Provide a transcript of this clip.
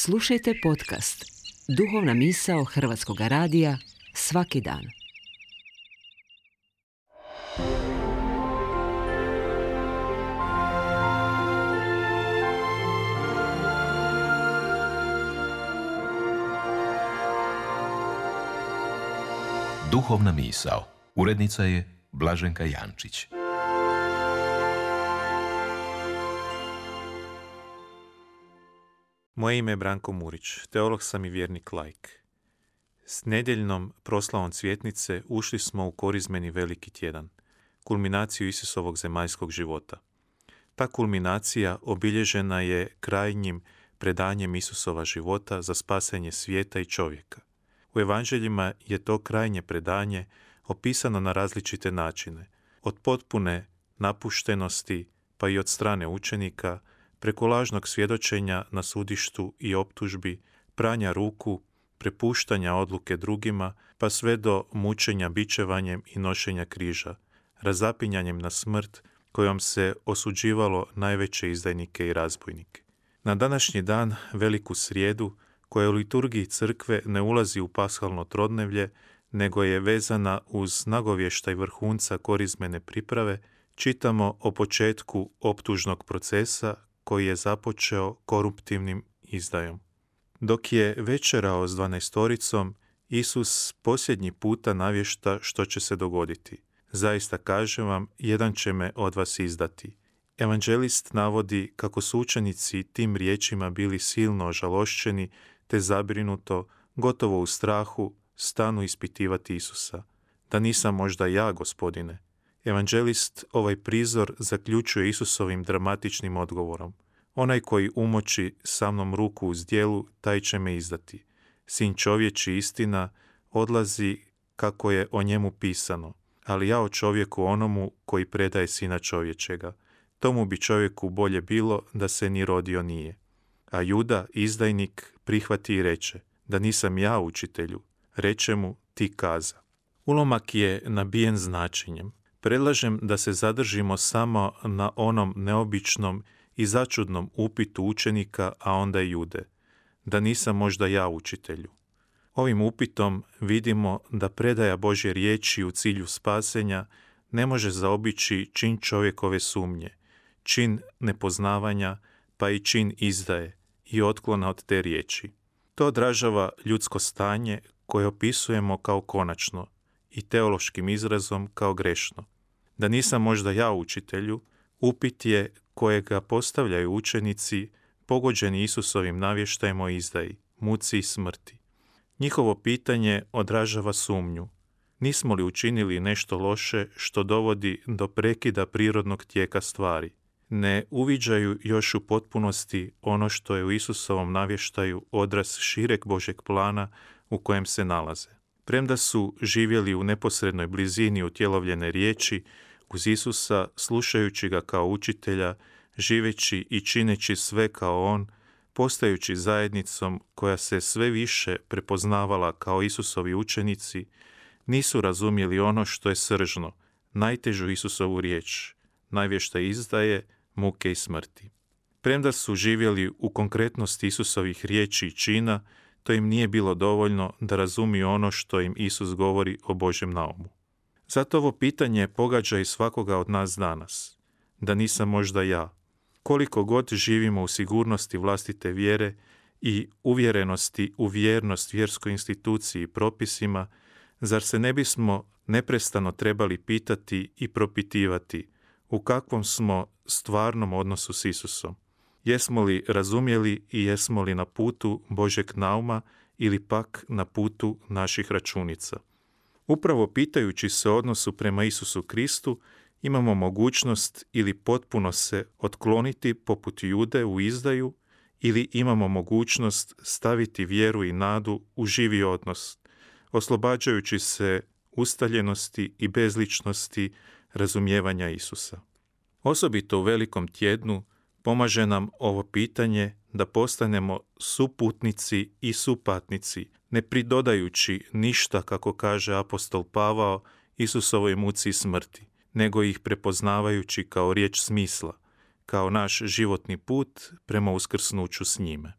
Slušajte podcast Duhovna misao Hrvatskog radija svaki dan. Duhovna misao. Urednica je Blaženka Jančić. Moje ime je Branko Murić, teolog sam i vjernik laik. S nedjeljnom proslavom Cvjetnice ušli smo u korizmeni veliki tjedan, kulminaciju Isusovog zemaljskog života. Ta kulminacija obilježena je krajnjim predanjem Isusova života za spasenje svijeta i čovjeka. U evanđeljima je to krajnje predanje opisano na različite načine, od potpune napuštenosti pa i od strane učenika, preko lažnog svjedočenja na sudištu i optužbi, pranja ruku, prepuštanja odluke drugima, pa sve do mučenja bičevanjem i nošenja križa, razapinjanjem na smrt kojom se osuđivalo najveće izdajnike i razbojnike. Na današnji dan, veliku srijedu, koja u liturgiji crkve ne ulazi u paskalno trodnevlje, nego je vezana uz nagovještaj vrhunca korizmene priprave, čitamo o početku optužnog procesa koji je započeo koruptivnim izdajom. Dok je večerao s 12-toricom, Isus posljednji puta navješta što će se dogoditi. Zaista kažem vam, jedan će me od vas izdati. Evanđelist navodi kako su učenici tim riječima bili silno ožalošćeni, te zabrinuto, gotovo u strahu, stanu ispitivati Isusa. Da nisam možda ja, Gospodine? Evanđelist ovaj prizor zaključuje Isusovim dramatičnim odgovorom. Onaj koji umoči sa mnom ruku u zdjelu, taj će me izdati. Sin čovječi, istina, odlazi kako je o njemu pisano, ali ja o čovjeku onomu koji predaje Sina čovječega. Tomu bi čovjeku bolje bilo da se ni rodio nije. A Juda, izdajnik, prihvati i reče, da nisam ja, učitelju, reče mu, ti kaza. Ulomak je nabijen značenjem. Predlažem da se zadržimo samo na onom neobičnom i začudnom upitu učenika, a onda i Jude. Da nisam možda ja, učitelju. Ovim upitom vidimo da predaja Božje riječi u cilju spasenja ne može zaobići čin čovjekove sumnje, čin nepoznavanja, pa i čin izdaje i otklona od te riječi. To odražava ljudsko stanje koje opisujemo kao konačno i teološkim izrazom kao grešno. Da nisam možda ja, učitelju, upit je kojega postavljaju učenici pogođeni Isusovim navještajem o izdaji, muci i smrti. Njihovo pitanje odražava sumnju. Nismo li učinili nešto loše što dovodi do prekida prirodnog tijeka stvari? Ne uviđaju još u potpunosti ono što je u Isusovom navještaju odraz šireg Božjeg plana u kojem se nalaze. Premda su živjeli u neposrednoj blizini utjelovljene riječi, uz Isusa, slušajući ga kao učitelja, živeći i čineći sve kao on, postajući zajednicom koja se sve više prepoznavala kao Isusovi učenici, nisu razumjeli ono što je sržno, najtežu Isusovu riječ, navještaj izdaje, muke i smrti. Premda su živjeli u konkretnosti Isusovih riječi i čina, to im nije bilo dovoljno da razumiju ono što im Isus govori o Božjem naumu. Zato ovo pitanje pogađa i svakoga od nas danas. Da nisam možda ja. Koliko god živimo u sigurnosti vlastite vjere i uvjerenosti u vjernost vjerskoj instituciji i propisima, zar se ne bismo neprestano trebali pitati i propitivati u kakvom smo stvarnom odnosu s Isusom? Jesmo li razumjeli i jesmo li na putu Božjeg nauma ili pak na putu naših računica? Upravo pitajući se o odnosu prema Isusu Kristu, imamo mogućnost ili potpuno se otkloniti poput Jude u izdaju, ili imamo mogućnost staviti vjeru i nadu u živi odnos, oslobađajući se ustaljenosti i bezličnosti razumijevanja Isusa. Osobito u velikom tjednu pomaže nam ovo pitanje da postanemo suputnici i supatnici, ne pridodajući ništa, kako kaže apostol Pavao, Isusovoj muci i smrti, nego ih prepoznavajući kao riječ smisla, kao naš životni put prema uskrsnuću s njime.